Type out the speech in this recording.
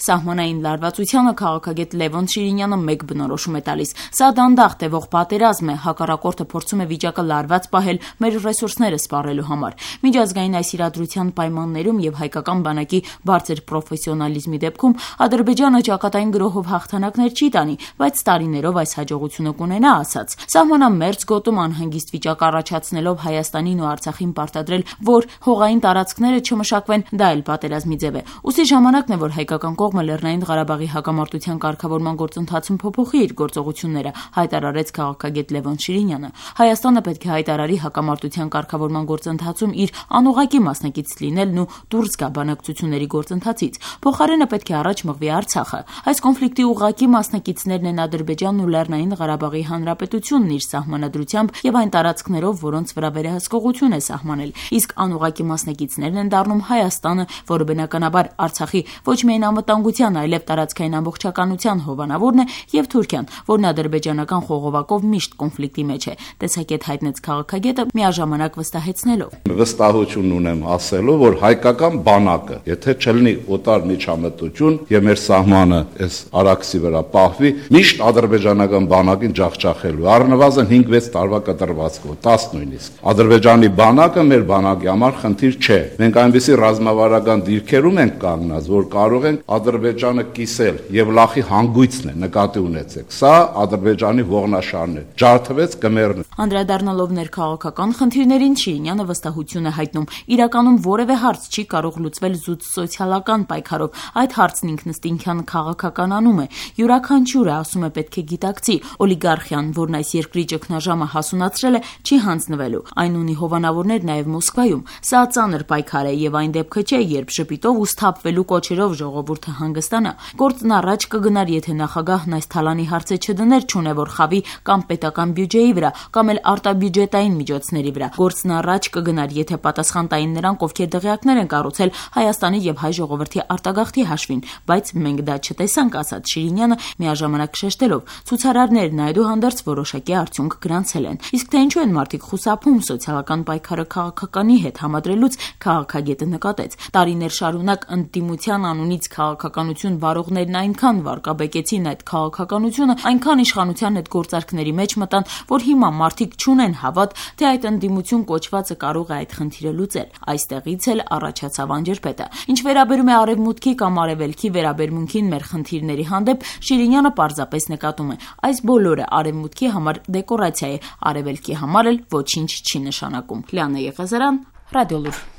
Սահմանային լարվածությանը քաղաքագետ Լևոն Շիրինյանը մեկ բնորոշում է տալիս. սա դանդաղ տևող պատերազմ է, հակառակորդը փորձում է վիճակը լարված պահել մեր ռեսուրսները սպառելու համար։ Միջազգային այս իրադրության պայմաններում եւ հայկական բանակի բարձր պրոֆեսիոնալիզմի դեպքում Ադրբեջանը ճակատային գրոհով հաղթանակներ չի տանի, բայց տարիներով այս հաջողությունը կունենա, ասաց։ Սահմանամերձ գոտում անհանգիստ վիճակ առաջացնելով Հայաստանին ու Արցախին պարտադրել, որ հողային տարածքները չմշակվեն, դա էլ պատերազմի ձև է։ Ուստի ժամանակն է, որ հայկական կողմը Լեռնային Ղարաբաղի հակամարտության կարգավորման գործընթացում փոփոխի իր գործողությունները, հայտարարեց քաղաքագետ Լևոն Շիրինյանը։ Հայաստանը պետք է հայտարարի հակամարտության կարգավորման գործընթացում իր անուղղակի մասնակից լինելն ու դուրս գա բանակցությունների գործընթացից։ Փոխարենը պետք է առաջ մղվի Արցախը։ Այս կոնֆլիկտի ուղղակի մասնակիցներն են Ադրբեջանն ու Լեռնային Ղարաբաղի Հանրապետությունն իր սահմանադրությամբ եւ այն տարածքներով, որոնց վրա վերահսկողություն է սահմանել։ Իսկ անուղղակի մասնակիցներն են դառնում Հայաստանը, որը բնականաբար Արցախի ոչ միայն անվտանգության, այլև տարածքային ամբողջականության հովանավորն է, եւ Թուրքիան, որն ադրբեջանական խողովակով միշտ կոնֆլիկտի մեջ է, տեսակետ հայտնեց քաղաքագետը միաժամանակ վստահեցնելով. Վստահություն ունեմ ասելու, որ հայկական բանակը, եթե չլինի օտար միջամտություն եւ մեր սահմանը այս արաքսի վրա պահվի, միշտ ադրբեջանական բանակին ջախջախելու, առնվազն 5-6 տարվա կտրվածքով, 10 նույնիսկ։ Ադրբեջանի բանակը մեր բանակի համար խնդիր չէ։ Մենք այնպիսի ռազմավարական դիրքերում ենք կանգնած, որ կարող ենք Ադրբեջանը կիսել եւ լախի հանգույցն է, նկատի ունեցեք։ Սա Ադրբեջանի ողնաշարն է։ Ջարդվեց կմեռնի։ Անդրադառնալով ներքաղաքական խնդիրներին Շիրինյանը վստահություն է հայտնում. իրականում որևէ հարց չի կարող լուծվել զուտ սոցիալական պայքարով։ Այդ հարցն ինքնըստինքյան քաղաքականանում է։ Յուրաքանչյուրը, ասում է, պետք է գիտակցի, օլիգարխիան, որն այս երկրի ճգնաժամը հասունացրել է, չի հանձնվելու։ Այն ունի հովանավորներ նաեւ Մոսկվայում։ Սա ծանր պայքար է եւ այն դեպքը չէ, երբ շպիտով ու սթափվելու կոչերով ժողովուրդը հանգստանա։ Գործն առաջ կգնար, եթե նախագահն այս թալանի հարցը չդներ, չունևոր խավի կամ պետական բյուջեի վրա, կամ էլ արտաբյուջետային միջոցների վրա։ Գործն առաջ կգնար, եթե պատասխան տային նրանք, ովքեր դղյակներ են կառուցել Հայաստանի եւ հայ ժողովրդի արտագաղթի հաշվին, բայց մենք դա չտեսանք, ասաց Շիրինյանը, միաժամանակ շեշտելով. ցուցարարներն այդուհանդերձ որոշակի արդյունք գրանցել են։ Իսկ թե ինչու են մարդիկ խուսափում սոցիալական պայքարը քաղաքականի հետ համադրելուց, քաղաքագետը նկատեց. տարիներ շարունակ ընդդիմության անունից քաղաքականություն վարողներն այնքան վարկաբեկեցին այդ քաղաքականությունը, այնքան իշխանության հետ գործարքների մեջ մտան, որ հիմա մարդիկ չունեն հավատ, թե այդ ընդդիմություն կոչվածը կարող է այդ խնդիրը լուծել։ Այստեղից էլ առաջացավ անջրպետը։ Ինչ վերաբերում է արևմուտքի կամ արևելքի վերաբերմունքին մեր խնդիրների հանդեպ, Շիրինյանը պարզապես նկատում է. այս բոլորը արևմուտքի համար դեկորացիա է, արևելքի համար էլ ոչինչ չի նշանակում։ Լիանա Եղազարյան, Ռադիոլուր։